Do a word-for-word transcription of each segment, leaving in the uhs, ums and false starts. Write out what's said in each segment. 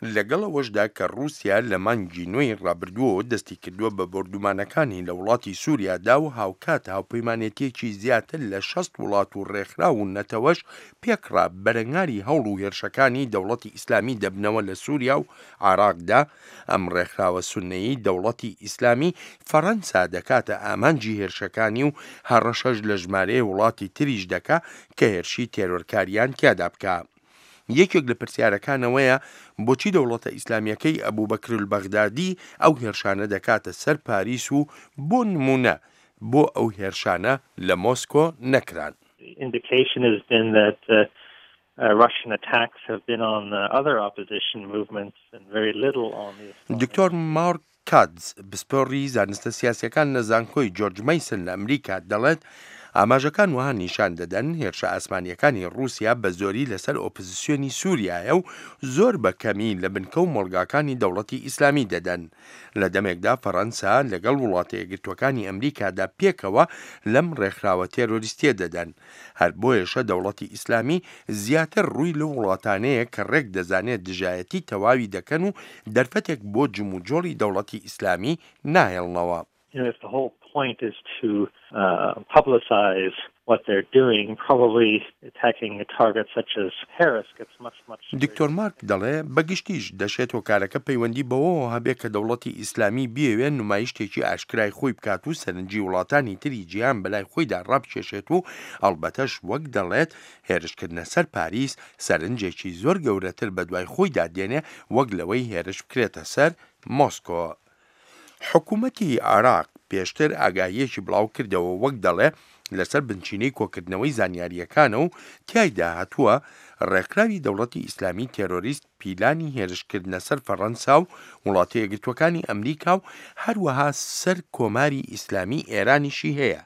لەگەڵ ئەوەشدا کە ڕووسیا لە مانگی نۆی ڕابردووەوە دەستی کردووە بە بۆردومانەکانی لە وڵاتی سووریادا و هاوکات هاوپەیمانێتیەکی زیاتر لە شەست وڵات و ڕێکخراو و نەتەوەش پێکڕا بەرەنگاری هەوڵ و هێرشەکانی دەوڵەتی ئیسلامی دەبنەوە لە سووریا و عێراقدا، ئەم ڕێکخراوە سوننەیەی دەوڵەتی ئیسلامی فەڕەنسا دەکاتە ئامانجی هێرشەکانی و هەڕەشەش لە ژمارەیە وڵاتی تریش دەکا کە هێرشی تێرۆرکاریان تیادا بکا. یەکێک لە پرسیارەکان ئەوەیە بۆچی دەوڵەتە ئیسلامیەکەی ئەبوبەکرولبەغدادی ئەو هێرشانە دەکاتە سەر پاریس و بۆ نمونە بۆ ئەو هێرشانە لە مۆسکۆ نەکران؟ Indication has been that Russian attacks have been on other opposition movements and very little on the Islamic. دکتۆر مارک کاتز، پسپۆڕی زانستە سیاسیەکان لە زانکۆی جۆرج مەیسن لە ئەمریکا دەڵێت ئاماژەکان وەها نیشان دەدەن هێرشە ئاسمانیەکانی ڕووسیا بە زۆری لەسەر ئۆپۆزیسیۆنی سووریایە و زۆر بە کەمی لە بنکە و مۆڵگاکانی دەوڵەتی ئیسلامی دەدەن، لە دەمێکدا فەڕەنسا لەگەڵ وڵاتە یەکگرتووەکانی ئەمریکادا پێکەوە لەم ڕێکخراوە تێرۆریستیە دەدەن. هەر بۆیەشە دەوڵەتی ئیسلامی زیاتر ڕووی لەو وڵاتانەیە کە ڕێک دەزانێت دژایەتی تەواوی دەکەن و دەرفەتێک بۆ جموجۆڵی دەوڵەتی ئیسلامی ناهێڵنەوە. You know, if the whole point is to uh, publicize what they're doing, probably attacking a target such as Paris gets much, much. دکتۆر مارک دەڵێ بەگشتیش دەشێت هۆکارەکە پەیوەندی بەوەوە هەبێ کە دەوڵەتی ئیسلامی بیەوێ نمایشتێکی ئاشکرای خۆی بکات و سەرنجی وڵاتانی تری جیهان بەلای خۆیدا ڕابکێشێت و ئەڵبەتەش وەک دەڵێت هێرشکردنە سەر پاریس سەرنجێکی زۆر گەورەتر بەدوای خۆیدا دێنێ وەک لەوەی هێرش بکرێتە سەر مۆسکۆ. حکوومەتی عێراق پێشتر ئاگاهیەکی بڵاو کردەوە، وەک دەڵێ لەسەر بنچینەی کۆکردنەوەی زانیاریەکانە و تیایدا هاتووە ڕێکخراوی دەوڵەتی ئیسلامی تێرۆریست پیلانی هێرشکردنە سەر فەڕەنسا و وڵاتە یەکگرتووەکانی ئەمریکا و هەروەها سەر کۆماری ئیسلامی ئێرانیشی هەیە.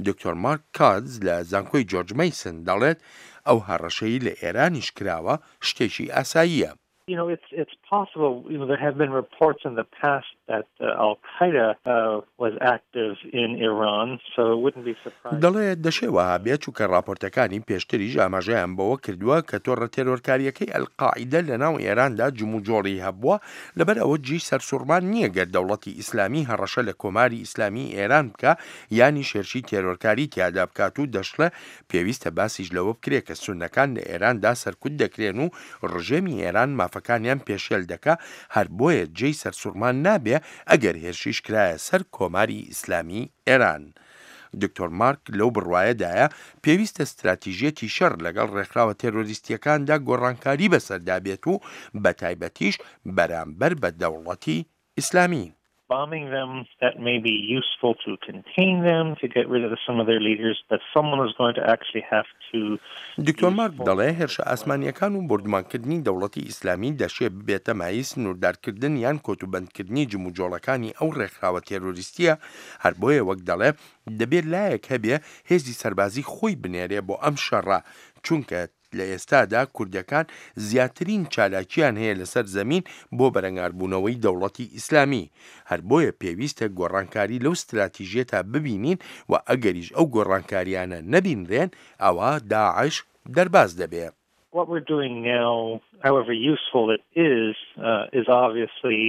دکتۆر مارک کاتز لە زانکۆی جۆرج مەیسن دەڵێت ئەو هەڕەشەی لە ئێرانیش کراوە شتێکی ئاساییە. You know, it's it's possible. You know, there have been reports in the past that uh, Al Qaeda uh, was active in Iran, so it wouldn't be surprising. دەڵێ دەشێ وەها بێت، چونکە راپۆرتەکانی پێشتریش ئاماژەیان بەوە کردووە کە تۆڕە تێرۆرکاریەکەی ئەلقاعیدە لە ناو ئێراندا جموجۆڵی هەبووە. لەبەر ئەوە جێی سەرسوڕمان نییە گەر دەوڵەتی ئیسلامی هەڕەشە لە کۆماری ئیسلامی ئێران بکە یانی هێرشی تێرۆرکاری تیادا بکات. و دەشڵێ پێویستە باسیش لەوە بکرێت کە سونەکان لە ئێراندا سەرکوت دەکرێن و ڕژێمی ئێران مافەکانیان پێشێل دەکا، هەر بۆیە جێی سەرسوڕمان نابێ ئەگەر هێرشیش کرایە سەر کۆماری ئیسلامی ئێران. دکتۆر مارک لەو بڕوایەدایە پێویستە ستراتیژیەتی شەڕ لەگەڵ ڕێکخراوە تێرۆریستیەکاندا گۆڕانکاری بەسەردا بێت و بە تایبەتیش بەرامبەر بە دەوڵەتی ئیسلامی. Bombing them, that may be useful to contain them, to get rid of some of their leaders, but someone is going to actually have to. دکتۆر مارک دەڵێ هێرشە ئاسمانیەکان و بۆردومانکردنی دەوڵەتی ئیسلامی دەشێ ببێتە مایەی سنووردارکردن یان کۆتوبەندکردنی جموجۆڵەکانی ئەو ڕێکخراوە تێرۆریستیە. هەر بۆیە وەک دەڵێ دەبێت لایەک هەبێ هێزی سەربازی خۆی بنێرێ بۆ ئەم شەڕە، چونکە لە ئێستادا کوردەکان زیاترین چالاکیان هەیە لەسەر زەمین بۆ بەرەنگاربوونەوەی دەوڵەتی ئیسلامی. هەر بۆیە پێویستە گۆڕانکاری لەو ستراتیژیەتا ببینین و ئەگەریش ئەو گۆڕانکاریانە نەبینرێن ئەوە داعش دەرباز دەبێ. What we're doing now, however useful it is, uh, is obviously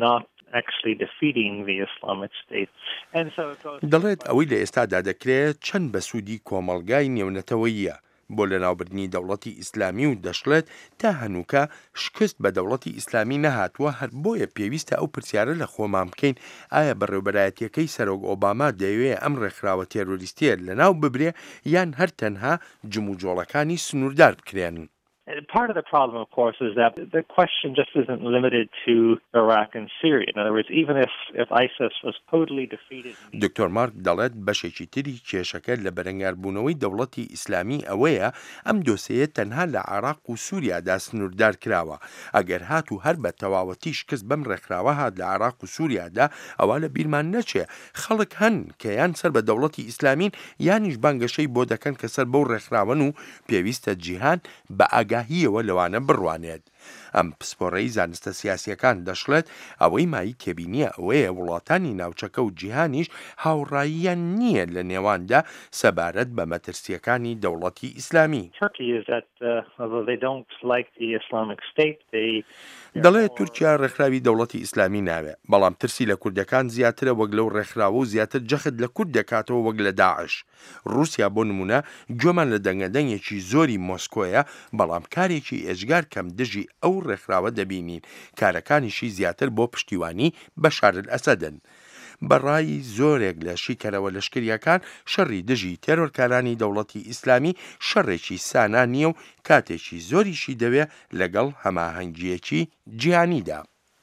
not actually defeating the Islamic State. And so it goes. دەڵێت ئەوەی لە ئێستادا دەکرێت چەند بە سوودی کۆمەڵگای نێونەتەوەیە بۆ لەناوبردنی دەوڵەتی ئیسلامی، و دەشڵێت تا هەنووکە شکست بە دەوڵەتی ئیسلامی نەهاتووە. هەر بۆیە پێویستە ئەو پرسیارە لە خۆمان بکەین ئایا بەڕێوبەرایەتیەکەی سەرۆک ئۆباما دەیەوێ ئەم ڕێکخراوە تێرۆریستیە لەناو ببرێ یان هەر تەنها جموجۆڵەکانی سنووردار بکرێن؟ Part of the problem, of course, is that the question just isn't limited to Iraq and Syria. In other words, even if, if ISIS was totally defeated. دکتۆر مارک دەڵێت بەشێکی تری کێشەکە لە بەرەنگاربوونەوەی دەوڵەتی ئیسلامی ئەوەیە ئەم دۆسەیە تەنها لە عێراق و سووریادا سنووردار کراوە. ئەگەر هات و هەر بە تەواوەتی شکست بەم ڕێکخراوە هات لە عێراق و سووریادا، ئەوە لە بیرمان نەچێ خەڵک هەن کە یان سەر بە دەوڵەتی ئیسلامین یانیش بانگەشەی بۆ دەکەن کە سەر بەو ڕێکخراوەن و پێویستە جیهان بە ئاگاهیەوە لەوانە بڕوانێت. ئەم پسپۆڕەی زانستە سیاسییەکان دەشڵێت، ئەوەی مایەی تێبینییە ئەوەیە وڵاتانی ناوچەکە و جیهانیش هاوڕاییان نییە لە نێواندا سەبارەت بە مەترسییەکانی دەوڵەتی ئیسلامی. دەڵێت تورکیا ڕێکخراوی دەوڵەتی ئیسلامی ناوێ، بەڵام ترسی لە کوردەکان زیاترە وەک لەو ڕێکخراوە و زیاتر جەخت لە کورد دەکاتەوە وەک لە داعش. ڕووسیا بۆ نموونە گوێمان لە دەنگەدەنگێکی زۆری مۆسکۆیە، بەڵام کارێکی ئێجگار کەم دژی ئەو ڕێکخراوە دەبینین، کارەکانیشی زیاتر بۆ پشتیوانی بەشار ئەسەدن. بە ڕای زۆرێک لە شیکەرەوە لەشکرییەکان شەڕی دژی تێرۆرکارانی دەوڵەتی ئیسلامی شەڕێکی سانا نییە و کاتێکی زۆریشی دەوێ لەگەڵ هەماهەنگییەکی جیهانیدا.